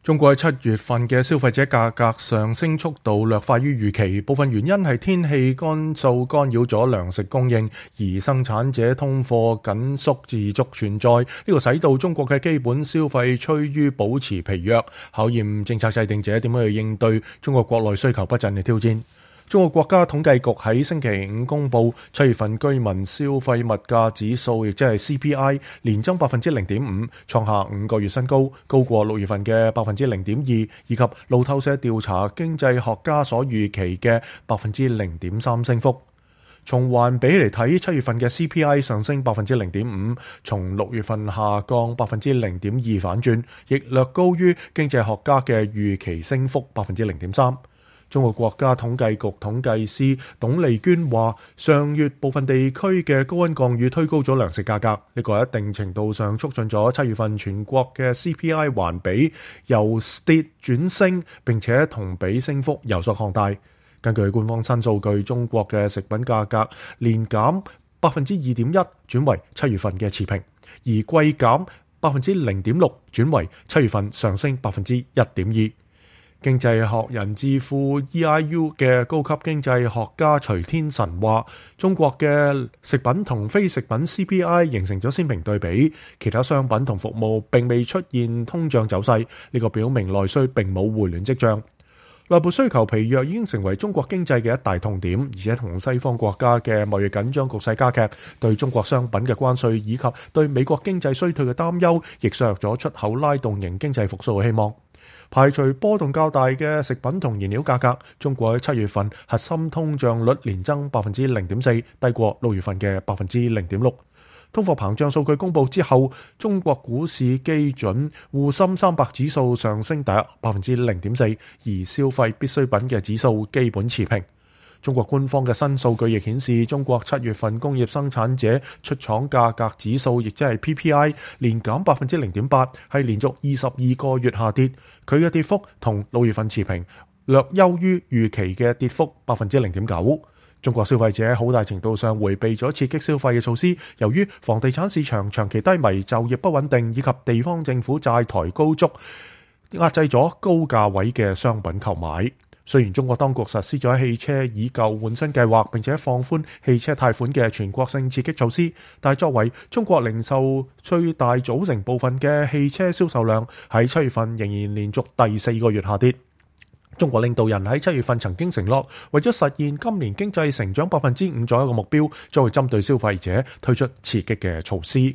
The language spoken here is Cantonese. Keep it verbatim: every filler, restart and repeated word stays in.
中國喺七月份嘅消費者價格上升速度略快於預期，部分原因係天氣乾燥干擾咗糧食供應，而生產者通貨緊縮自續存在，呢、這個使到中國嘅基本消費趨於保持疲弱，考驗政策制定者點樣去應對中國國內需求不振嘅挑戰。中國國家統計局喺星期五公布七月份居民消費物價指數，亦即係 C P I， 年增百分之零點五，創下五個月新高，高過六月份嘅百分之零點二，以及路透社調查經濟學家所預期嘅百分之零點三升幅。從環比嚟睇，七月份嘅 C P I 上升百分之零點五，從六月份下降百分之零點二反轉，亦略高於經濟學家嘅預期升幅百分之零點三。中國國家統計局統計師董麗娟話，上月部分地區嘅高溫降雨推高咗糧食價格，呢個喺一定程度上促進咗七月份全國嘅 C P I 環比由跌轉升，並且同比升幅有所擴大。根據官方新數據，中國嘅食品價格年減百分之二點一，轉為七月份嘅持平，而季減百分之零點六，轉為七月份上升百分之一點二。經濟學人智庫 E I U 嘅高級經濟學家徐天辰話，中國嘅食品同非食品 C P I 形成咗鮮明對比，其他商品同服務並未出現通脹走勢，呢個表明內需並冇回暖跡象。內部需求疲弱已經成為中國經濟嘅一大痛點，而且同西方國家嘅貿易緊張局勢加劇，對中國商品嘅關稅以及對美國經濟衰退嘅擔憂，亦削弱咗出口拉動型經濟復甦嘅希望。排除波動較大嘅食品同燃料價格，中國喺七月份核心通脹率年增百分之零點四，低過六月份嘅百分之零點六。通貨膨脹數據公布之後，中國股市基準滬深三百指數上升大約百分之零點四，而消費必需品嘅指數基本持平。中國官方嘅新數據亦顯示，中國七月份工業生產者出廠價格指數，亦即係 P P I， 年減百分之零點八，係連續二十二個月下跌。佢嘅跌幅同六月份持平，略優於預期嘅跌幅百分之零點九。中國消費者好大程度上迴避咗刺激消費嘅措施，由於房地產市場長期低迷、就業不穩定以及地方政府債台高築，壓制咗高價位嘅商品購買。雖然中國當局實施咗汽車以舊換新計劃，並且放寬汽車貸款嘅全國性刺激措施，但係作為中國零售最大組成部分嘅汽車銷售量喺七月份仍然連續第四個月下跌。中國領導人喺七月份曾經承諾，為咗實現今年經濟成長百分之五左右嘅目標，將會針對消費者推出刺激嘅措施。